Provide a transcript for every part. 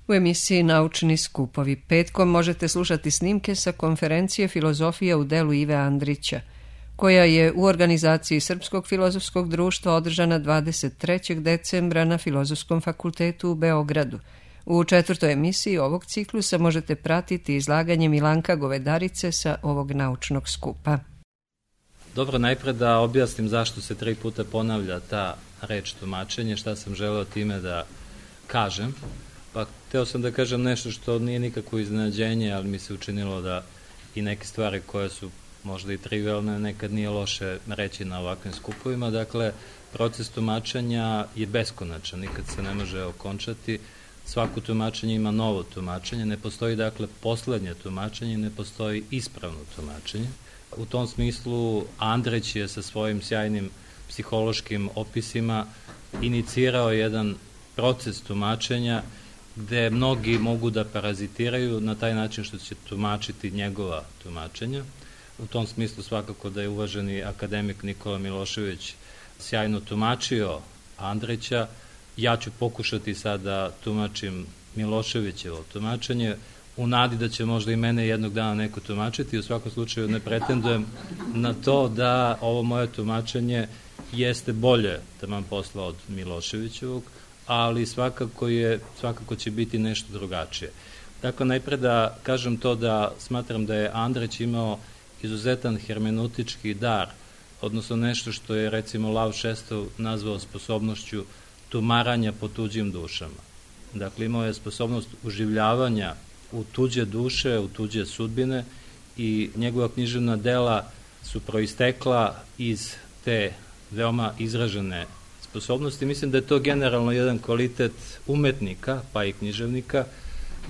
U emisiji Naučni skupovi petkom možete slušati snimke sa konferencije Filozofija u delu Ive Andrića, koja je u organizaciji Srpskog filozofskog društva održana 23. decembra na Filozofskom fakultetu u Beogradu. U 4. emisiji ovog ciklusa možete pratiti izlaganje Milanka Govedarice sa ovog naučnog skupa. Dobro, najpre da objasnim zašto se 3 puta ponavlja ta reč tumačenje, šta sam želeo time da kažem. Pa hteo sam da kažem nešto što nije nikakvo iznenađenje, ali mi se učinilo da i neke stvari koje su možda i trivialne nekad nije loše reći na ovakvim skupovima. Dakle, proces tumačenja je beskonačan, nikad se ne može okončati. Svako tumačenje ima novo tumačenje, ne postoji dakle poslednje tumačenje, ne postoji ispravno tumačenje. U tom smislu Andrić je sa svojim sjajnim psihološkim opisima inicirao jedan proces tumačenja gde mnogi mogu da parazitiraju na taj način što će tumačiti njegova tumačenja. U tom smislu svakako da je uvaženi akademik Nikola Milošević sjajno tumačio Andrića. Ja ću pokušati sad da tumačim Miloševićevo tumačenje, u nadi da će možda i mene jednog dana neko tumačiti. U svakom slučaju ne pretendujem na to da ovo moje tumačenje jeste bolje taman posla od Miloševićevog, ali svakako će biti nešto drugačije. Dakle, najpre da kažem to da smatram da je Andrić imao izuzetan hermeneutički dar, odnosno nešto što je recimo Lav Šestov nazvao sposobnošću tumaranja po tuđim dušama. Dakle, imao je sposobnost uživljavanja u tuđe duše, u tuđe sudbine i njegova književna dela su proistekla iz te veoma izražene sposobnosti. Mislim da je to generalno jedan kvalitet umetnika, pa i književnika,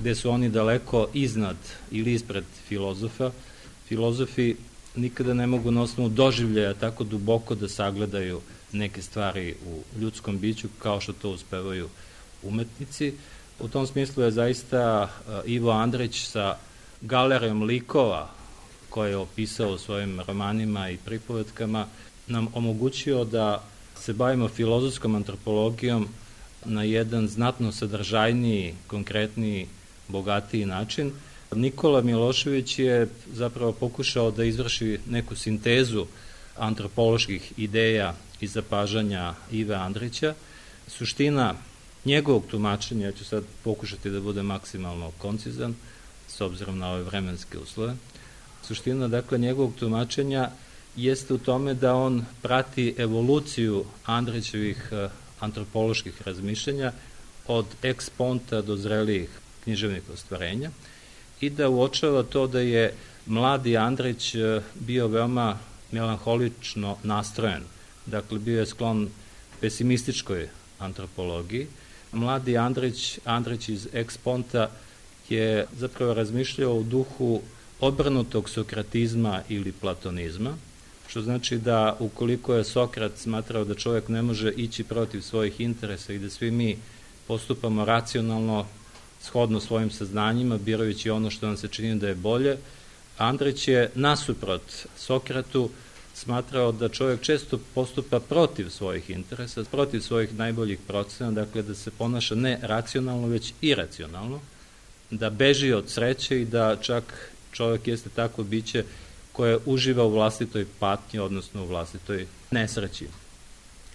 gde su oni daleko iznad ili ispred filozofa. Filozofi nikada ne mogu na osnovu doživljaja tako duboko da sagledaju neke stvari u ljudskom biću kao što to uspevaju umetnici. U tom smislu je zaista Ivo Andrić sa galerijom likova koje je opisao u svojim romanima i pripovetkama nam omogućio da se bavimo filozofskom antropologijom na jedan znatno sadržajniji, konkretniji, bogatiji način. Nikola Milošević je zapravo pokušao da izvrši neku sintezu antropoloških ideja i zapažanja Ive Andrića. Suština njegovog tumačenja, ja ću sad pokušati da bude maksimalno koncizan, s obzirom na ove vremenske uslove. Suština, dakle, njegovog tumačenja jeste u tome da on prati evoluciju Andrićevih antropoloških razmišljenja od ex ponta do zrelijih književnih ostvarenja i da uočava to da je mladi Andrić bio veoma melanholično nastrojen. Dakle, bio je sklon pesimističkoj antropologiji. Mladi Andrić iz eksponta je zapravo razmišljao u duhu obrnutog sokratizma ili platonizma, što znači da ukoliko je Sokrat smatrao da čovjek ne može ići protiv svojih interesa i da svi mi postupamo racionalno, shodno svojim saznanjima, birajući ono što nam se čini da je bolje, Andrić je nasuprot Sokratu smatrao da čovjek često postupa protiv svojih interesa, protiv svojih najboljih procena, dakle da se ponaša ne racionalno, već iracionalno, da beži od sreće i da čak čovjek jeste takvo biće koje uživa u vlastitoj patnji, odnosno u vlastitoj nesreći.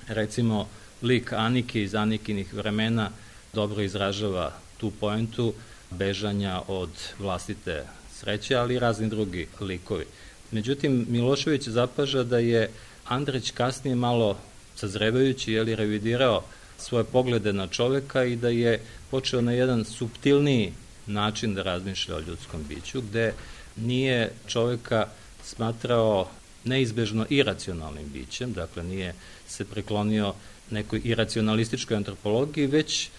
Recimo, lik Anike iz Anikinih vremena dobro izražava tu poentu bežanja od vlastite sreće, ali i razni drugi likovi. Međutim, Milošević zapaža da je Andrić kasnije malo sazrevajući, revidirao svoje poglede na čoveka i da je počeo na jedan suptilniji način da razmišlja o ljudskom biću, gde nije čoveka smatrao neizbežno iracionalnim bićem, dakle nije se preklonio nekoj iracionalističkoj antropologiji, već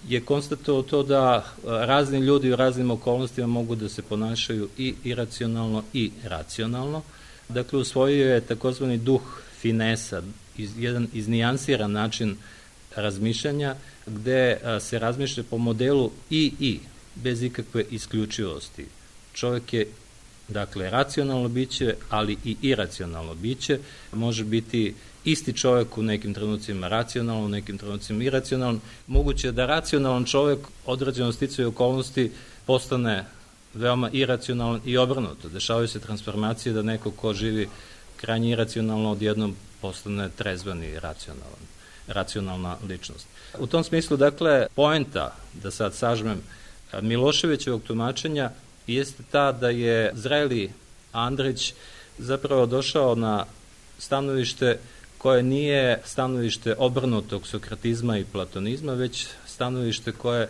je konstatovao to da razni ljudi u raznim okolnostima mogu da se ponašaju i iracionalno i racionalno. Dakle, usvojio je takozvani duh finesa, jedan iznijansiran način razmišljanja, gde se razmišlja po modelu i, bez ikakve isključivosti. Čovjek je, dakle, racionalno biće, ali i iracionalno biće, može biti isti čovjek u nekim trenucima racionalno, u nekim trenucima iracionalno. Moguće je da racionalan čovjek određeno sticaju okolnosti postane veoma iracionalan i obrnuto. Dešavaju se transformacije da neko ko živi krajnje iracionalno odjednom postane trezven i racionalna ličnost. U tom smislu, dakle, poenta, da sad sažmem, Miloševićevog tumačenja jeste ta da je zreli Andrić zapravo došao na stanovište koje nije stanovište obrnutog sokratizma i platonizma, već stanovište koje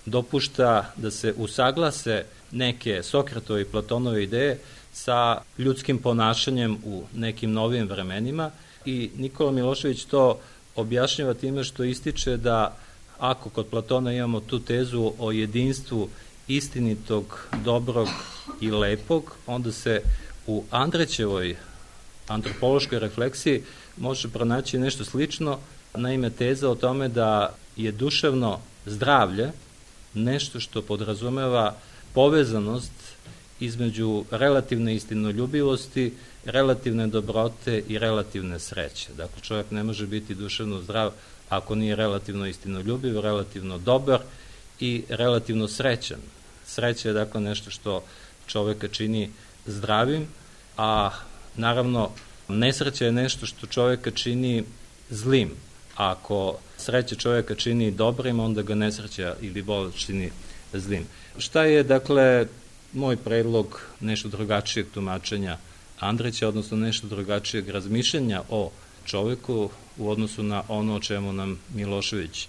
dopušta da se usaglase neke Sokratove i Platonove ideje sa ljudskim ponašanjem u nekim novim vremenima i Nikola Milošević to objašnjava time što ističe da ako kod Platona imamo tu tezu o jedinstvu istinitog, dobrog i lepog, onda se u Andrićevoj antropološkoj refleksiji može pronaći nešto slično, naime teza o tome da je duševno zdravlje nešto što podrazumeva povezanost između relativne istinoljubivosti, relativne dobrote i relativne sreće. Dakle, čovjek ne može biti duševno zdrav ako nije relativno istinoljubiv, relativno dobar i relativno srećan. Sreća je dakle nešto što čovjeka čini zdravim, a naravno nesreća je nešto što čovjeka čini zlim. Ako sreća čovjeka čini dobrim, onda ga nesreća ili bolest čini zlim. Šta je, dakle, moj predlog nešto drugačijeg tumačenja Andrića, odnosno nešto drugačijeg razmišljanja o čovjeku u odnosu na ono o čemu nam Milošević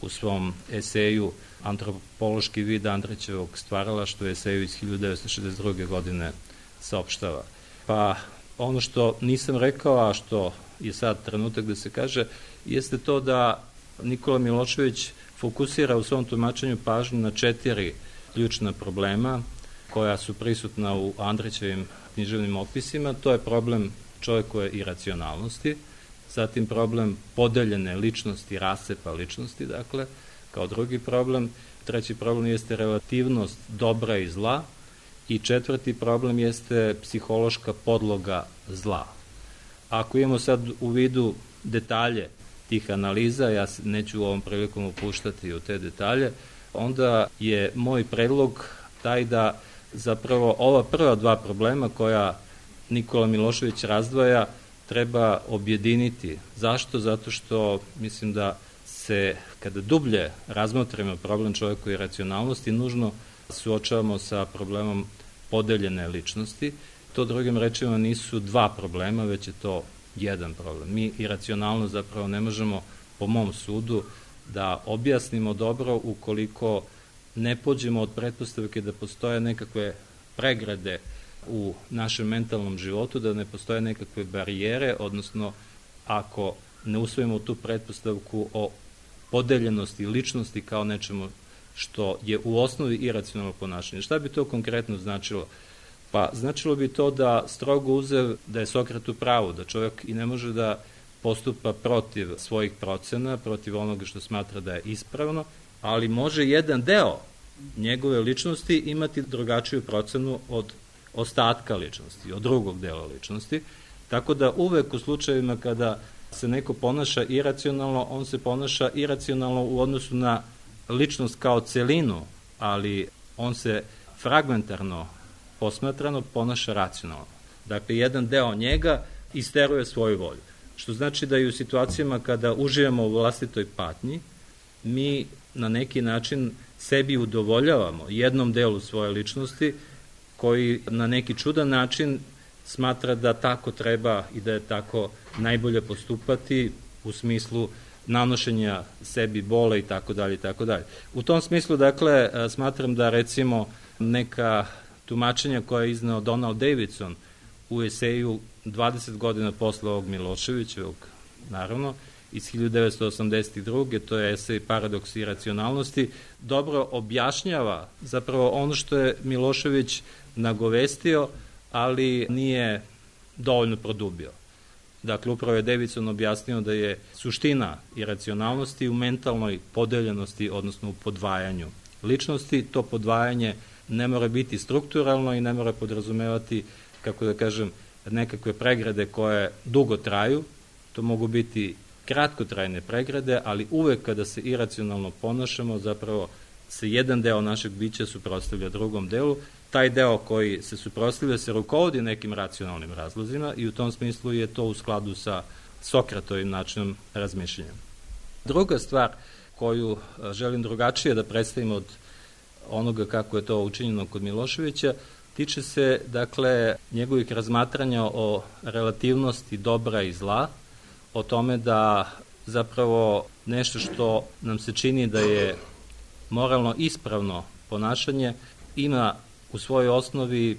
u svom eseju Antropološki vid Andrićevog stvaralaštva, eseju iz 1962. godine saopštava. Pa ono što nisam rekao, a što je sad trenutak da se kaže, jeste to da Nikola Milošević fokusira u svom tumačenju pažnju na 4 ključna problema koja su prisutna u Andrićevim književnim opisima. To je problem čovjekove iracionalnosti, zatim problem podeljene ličnosti, rascepa ličnosti, dakle, kao drugi problem. Treći problem jeste relativnost dobra i zla i četvrti problem jeste psihološka podloga zla. Ako imamo sad u vidu detalje tih analiza, ja se neću u ovom prilikom upuštati u te detalje, onda je moj predlog taj da zapravo ova prva 2 problema koja Nikola Milošević razdvaja treba objediniti. Zašto? Zato što mislim da se, kada dublje razmotrimo problem čovjekove iracionalnosti, nužno suočavamo sa problemom podeljene ličnosti. To drugim rečima nisu 2 problema, već je to jedan problem. Mi iracionalno zapravo ne možemo, po mom sudu, da objasnimo dobro ukoliko ne pođemo od pretpostavke da postoje nekakve pregrade u našem mentalnom životu, da ne postoje nekakve barijere, odnosno ako ne usvojimo tu pretpostavku o podeljenosti ličnosti kao nečemu što je u osnovi iracionalno ponašanje. Šta bi to konkretno značilo? Pa značilo bi to da strogo uzev da je Sokrat u pravu, da čovjek i ne može da postupa protiv svojih procena, protiv onoga što smatra da je ispravno, ali može jedan deo njegove ličnosti imati drugačiju procenu od ostatka ličnosti, od drugog dela ličnosti, tako da uvek u slučajevima kada se neko ponaša iracionalno, on se ponaša iracionalno u odnosu na ličnost kao celinu, ali on se fragmentarno posmatrano ponaša racionalno. Dakle, jedan deo njega isteruje svoju volju. Što znači da i u situacijama kada uživamo u vlastitoj patnji, mi na neki način sebi udovoljavamo jednom delu svoje ličnosti koji na neki čudan način smatra da tako treba i da je tako najbolje postupati u smislu nanošenja sebi bole i tako dalje i tako dalje. U tom smislu, dakle, smatram da recimo neka tumačenja koja je izneo Donald Davidson u eseju 20 godina posle ovog Miloševićevog, naravno, iz 1982. to je esej Paradoks iracionalnosti, dobro objašnjava zapravo ono što je Milošević nagovestio, ali nije dovoljno produbio. Dakle, upravo je Davidson objasnio da je suština iracionalnosti u mentalnoj podeljenosti, odnosno u podvajanju ličnosti. To podvajanje ne mora biti strukturalno i ne mora podrazumevati, kako da kažem, nekakve pregrade koje dugo traju, To mogu biti kratkotrajne pregrade, ali uvek kada se iracionalno ponašamo, zapravo se jedan deo našeg bića suprotstavlja drugom delu. Taj deo koji se suprotstavlja se rukovodi nekim racionalnim razlozima i u tom smislu je to u skladu sa Sokratovim načinom razmišljanja. Druga stvar koju želim drugačije da predstavim od onoga kako je to učinjeno kod Miloševića, tiče se, dakle, njegovih razmatranja o relativnosti dobra i zla, o tome da zapravo nešto što nam se čini da je moralno ispravno ponašanje ima u svojoj osnovi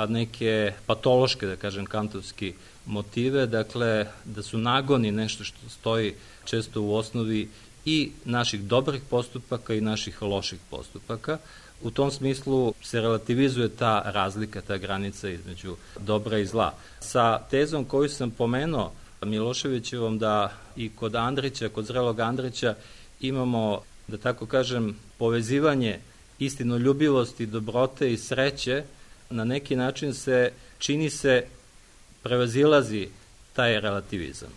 neke patološke, da kažem, kantovski motive, dakle, da su nagoni nešto što stoji često u osnovi i naših dobrih postupaka i naših loših postupaka. U tom smislu se relativizuje ta razlika, ta granica između dobra i zla. Sa tezom koju sam pomenuo Miloševićevom da i kod Andrića, kod zrelog Andrića imamo, da tako kažem, povezivanje istinoljubivosti, dobrote i sreće, na neki način se, čini se, prevazilazi taj relativizam.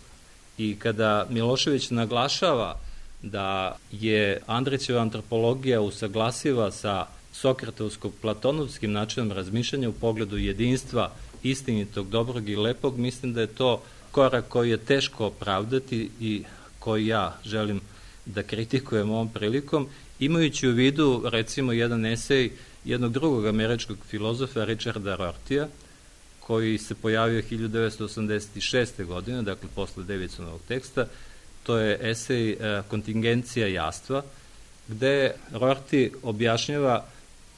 I kada Milošević naglašava da je Andrićeva antropologija usaglasiva sa sokratovsko-platonovskim načinom razmišljanja u pogledu jedinstva istinitog, dobrog i lepog, mislim da je to korak koji je teško opravdati i koji ja želim da kritikujem ovom prilikom, imajući u vidu, recimo, jedan esej jednog drugog američkog filozofa, Richarda Rortija, koji se pojavio 1986. godine, dakle posle Davidsonovog teksta. To je esej Kontingencija jastva, gde Rorty objašnjava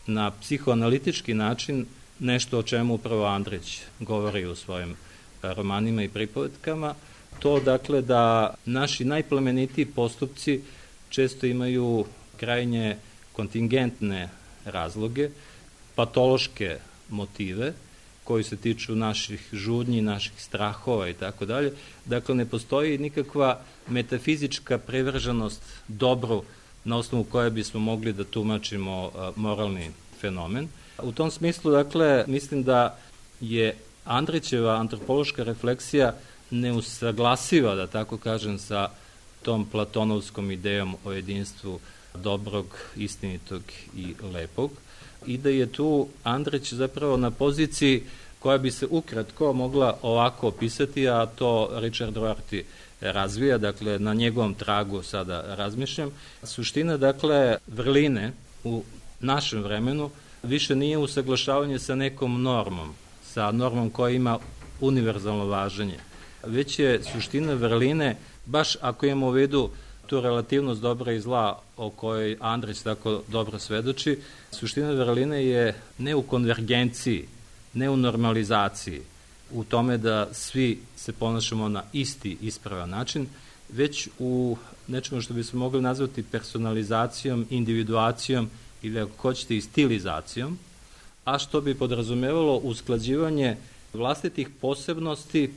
na psihoanalitički način nešto o čemu upravo Andrić govori u svojim romanima i pripovetkama, to, dakle, da naši najplemenitiji postupci često imaju krajnje kontingentne razloge, patološke motive koji se tiču naših žudnji, naših strahova i tako dalje. Dakle, ne postoji nikakva metafizička privrženost dobru na osnovu koje bismo mogli da tumačimo moralni fenomen. U tom smislu, dakle, mislim da je Andrićeva antropološka refleksija neusaglasiva, da tako kažem, sa tom platonovskom idejom o jedinstvu dobrog, istinitog i lepog, i da je tu Andrić zapravo na poziciji koja bi se ukratko mogla ovako opisati, a to Richard Rorty razvija, dakle, na njegovom tragu sada razmišljam. Suština, dakle, vrline u našem vremenu više nije usaglašavanje sa nekom normom, sa normom koja ima univerzalno važenje, već je suština vrline, baš ako imamo u vidu tu relativnost dobra i zla o kojoj Andrić tako dobro svedoči, suština vrline je ne u konvergenciji, ne u normalizaciji, u tome da svi se ponašamo na isti ispravan način, već u nečemu što bi se mogli nazvati personalizacijom, individuacijom ili, ako hoćete, i stilizacijom, a što bi podrazumevalo usklađivanje vlastitih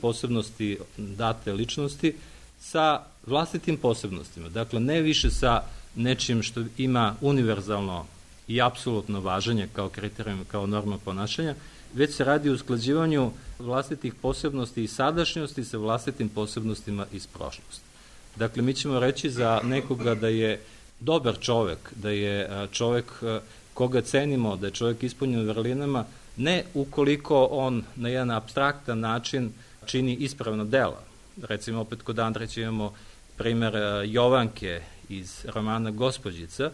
posebnosti date ličnosti sa vlastitim posebnostima. Dakle, ne više sa nečim što ima univerzalno i apsolutno važenje kao kriterijum, kao norma ponašanja, već se radi o usklađivanju vlastitih posebnosti i sadašnjosti sa vlastitim posebnostima iz prošlosti. Dakle, mi ćemo reći za nekoga da je dobar čovek, da je čovek koga cenimo, da je čovek ispunjen vrlinama, ne ukoliko on na jedan apstraktan način čini ispravna dela. Recimo, opet kod Andrića imamo primer Jovanke iz romana Gospođica,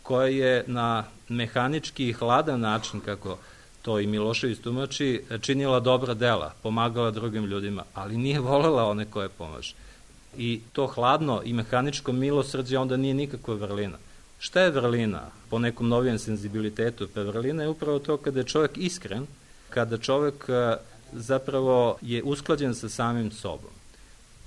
koja je na mehanički i hladan način, kako to i Milošević tumači, činila dobra dela, pomagala drugim ljudima, ali nije volela one koje pomaže. I to hladno i mehaničko milosrđe onda nije nikakva vrlina. Šta je vrlina po nekom novijem senzibilitetu? Pa vrlina je upravo to kada je čovek iskren, kada čovek zapravo je usklađen sa samim sobom.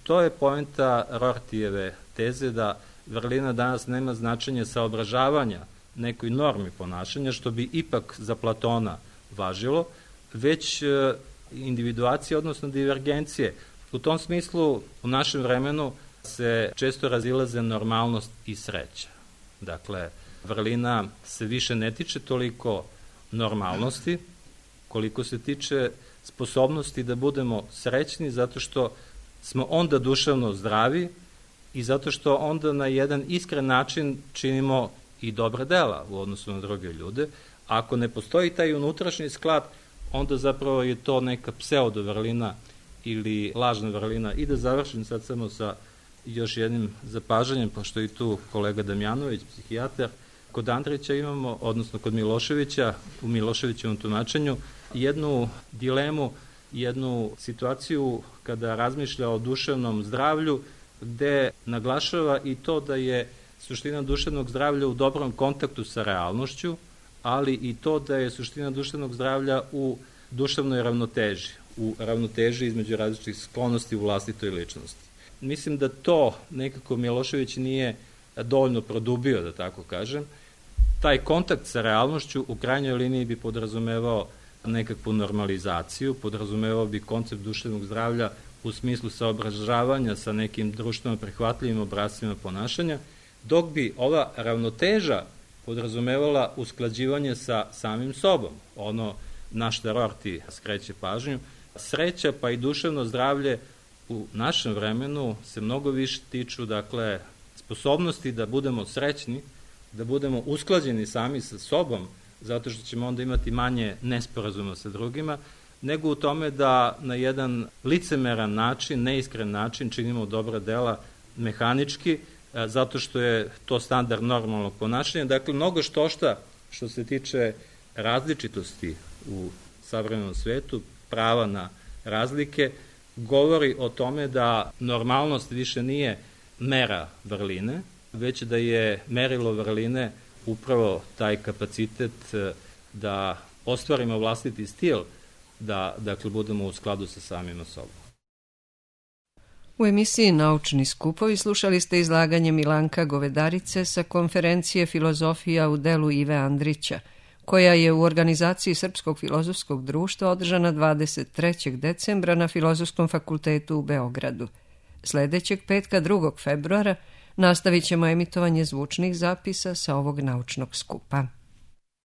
To je poenta Rortijeve teze da vrlina danas nema značenje saobražavanja nekoj normi ponašanja, što bi ipak za Platona važilo, već individuacije, odnosno divergencije. U tom smislu, u našem vremenu se često razilaze normalnost i sreća. Dakle, vrlina se više ne tiče toliko normalnosti, koliko se tiče sposobnosti da budemo srećni, zato što smo onda duševno zdravi i zato što onda na jedan iskren način činimo i dobra dela u odnosu na druge ljude. Ako ne postoji taj unutrašnji sklad, onda zapravo je to neka pseudo-vrlina ili lažna vrlina. I da završim sad samo sa još jednim zapažanjem, pošto je tu kolega Damjanović, psihijatar. Kod Andrića imamo, odnosno kod Miloševića, u Miloševićevom tumačenju, jednu dilemu, jednu situaciju kada razmišlja o duševnom zdravlju, gde naglašava i to da je suština duševnog zdravlja u dobrom kontaktu sa realnošću, ali i to da je suština duševnog zdravlja u duševnoj ravnoteži, u ravnoteži između različitih sklonosti u vlastitoj ličnosti. Mislim da to nekako Milošević nije dovoljno produbio, da tako kažem. Taj kontakt sa realnošću u krajnjoj liniji bi podrazumevao nekakvu normalizaciju, podrazumevao bi koncept duševnog zdravlja u smislu saobražavanja sa nekim društveno prihvatljivim obrascima ponašanja, dok bi ova ravnoteža podrazumevala usklađivanje sa samim sobom. Ono na šta Rorty skreće pažnju. Sreća pa i duševno zdravlje u našem vremenu se mnogo više tiču, dakle, sposobnosti da budemo srećni, da budemo usklađeni sami sa sobom, zato što ćemo onda imati manje nesporazuma sa drugima, nego u tome da na jedan licemeran način, neiskren način činimo dobra dela mehanički, zato što je to standard normalnog ponašanja. Dakle, mnogo što se tiče različitosti u savremenom svetu, prava na razlike, govori o tome da normalnost više nije mera vrline, već da je merilo vrline upravo taj kapacitet da ostvarimo vlastiti stil, da dakle budemo u skladu sa samima sobom. U emisiji Naučni skupovi slušali ste izlaganje Milanka Govedarice sa konferencije Filozofija u delu Ive Andrića, koja je u organizaciji Srpskog filozofskog društva održana 23. decembra na Filozofskom fakultetu u Beogradu. Sledećeg petka 2. februara nastavit ćemo emitovanje zvučnih zapisa sa ovog naučnog skupa.